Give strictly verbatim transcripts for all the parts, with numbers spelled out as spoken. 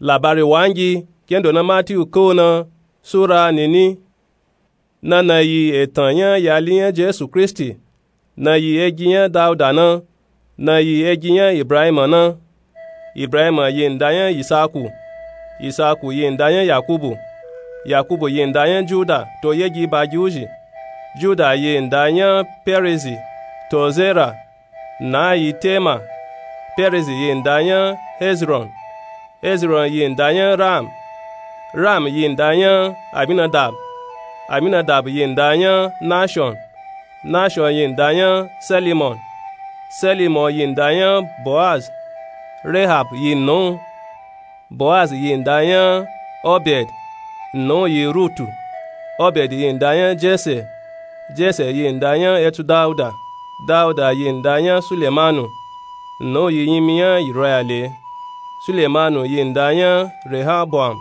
Labari wangi kendo na Matiyu ko na, sura nini. Na na yi etan nya yali nya Jesu Kristi, na yi egi nya Dauda na, na yi egi nya Ibrahima na. Ibrahima yi nda nya Isaku, Isaku yi nda nya Yakubu, Yakubu yi nda nya Juda to yegi bagi uzhi. Juda yi nda nya Perezi to Zera, na yi Tema. Perezi yi nda nya Hezron, Hezron yi nda nya Ram, Ram yi nda nya Aminadab, Aminadab yi nda nya Nashon, Nashon yi nda nya Selimon, Selimon yi nda nya Boaz, Rehab yi nna u, Boaz yi nda nya Obed, nna u yi Rutu, Obed yi nda nya Jese, Jese yi nda nya etu Dauda, Dauda yi nda nya Sulemanu, nna u yi nyimi nya Yurayale, Sulemanu yi nda nya Rehoboam,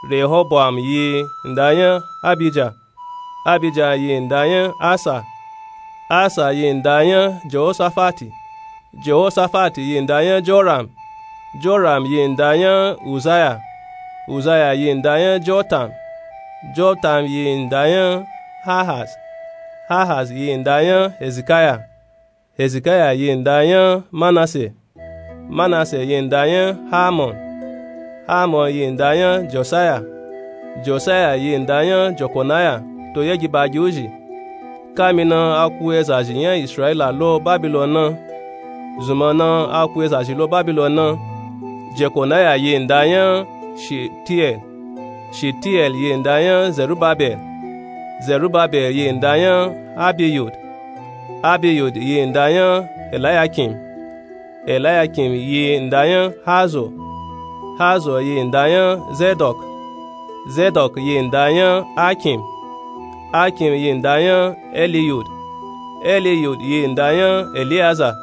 Rehoboam yi nda nya Abija, Abija yi nda nya Asa, Asa yi nda nya Jehosafati, Jehosafati yi nda nya Joram, Joram yi nda nya Uzaya, Uzaya yi nda nya Jotam, Jotam yi nda nya Ahaz, Ahaz yi nda nya Hezikaya, Hezikaya yi nda nya Manase, Manase yi nda nya Hamon, Hamon yi nda nya Josaya, Josaya yi nda nya Jokonaya to yegi bagi uzhi. Kami na a ku ezazhi nya Israila lo Babilon na, zunmọ na a ku ezazhi lo Babilon na. Jekonaya yi nda nya Shitiel, Shitiel yi nda nya Zerubabel, Zerubabel yi nda nya Abiyud, Abiyud yi nda nya Elayakim, Elayakim yi nda nya Hazo, Hazo yi nda nya Zedok, Zedok yi nda nya Akim, Akim yi nda nya Eliyud, Eliyud yi nda nya Eliyaza,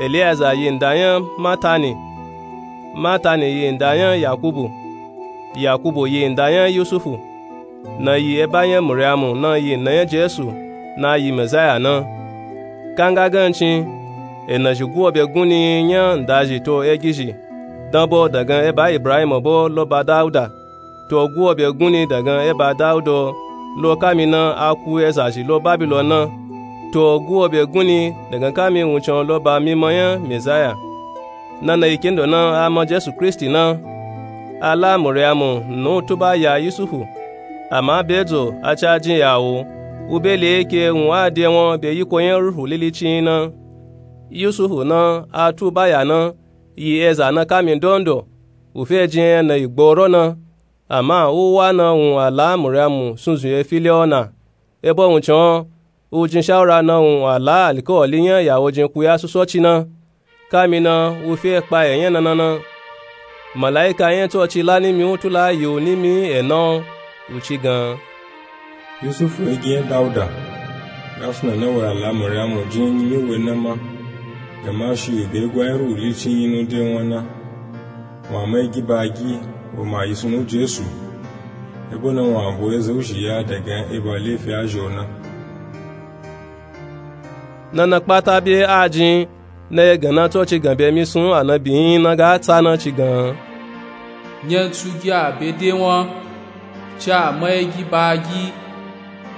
Eliyaza yi nda nya Matani, Matani yi nda nya Yakubu, Yakubu yi nda nya Yusufu, na yi eba nya Muriamu na yi nna nya Jesu, na yi Mezaya na. Kanga gancin, enazhi guobe gunni nya ndazhi to egizhi, danbo dagan eba Ibrahima bo lo ba Dauda, to guobe gunni dagan eba Dauda lo kami na a ku ezazhi lo Babilon na, to guobe gunni dagan kami wuncin lo ba mima nya Mezaya. Na na yi kendo na a ma Jesu Kristi na. A la Muriamu nna u tuba ya Yusufu, ama be dzo a ca jin ya wo, u be le ke wun a de won be yiko nya Ruhu Lili cin na. Yusufu na a tuba ya na, yi eza na kami ndondo, u fe jin enya na yi gboro na, ama u wa na wun a la Muriamu sunzun ye fili o na. Ebo wuncin o, u jin shawura na wun a la alikawali nya ya wo jin ku ya sosoci na. Kami na u fe kpa enya nana na. Malaika nya Tsoci la nimi u tula yi u nimi ena o, u ci gan, Yusufu, egi nya Dauda, ga suna na wa a la Muriamu jin nyimi we na ma, gama shi u be gwa nya Ruhu Lili cin yi nu de won na. Wa ma egi bagi, wa ma yi suna u Jesu, ebo na wa bo eza uzhi ya dagan eba lefi azhi o na. Na na kpata be a jin, na ye gan na Tsoci gan be misun anabi yin na ga tsa na ci gan, nyantsu gi a be de won, ci a ma egi bagi,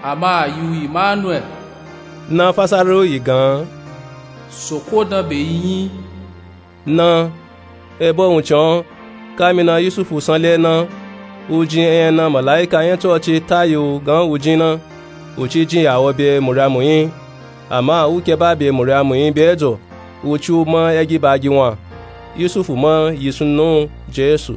ama a yi u Imanuel. Na fasara u yi gan, Soko dan be yi yin. Na, ebo wuncin o, kami na Yusufu sanle na, u jin enya na malaika nya Tsoci ta yi u gan u jin na, u ci jin ya wo be Muriamu yin. Ama u ke ba be Muriamu yin be dzo, u ci u ma egi bagi wan. Yusufu ma yi suna u Jesu.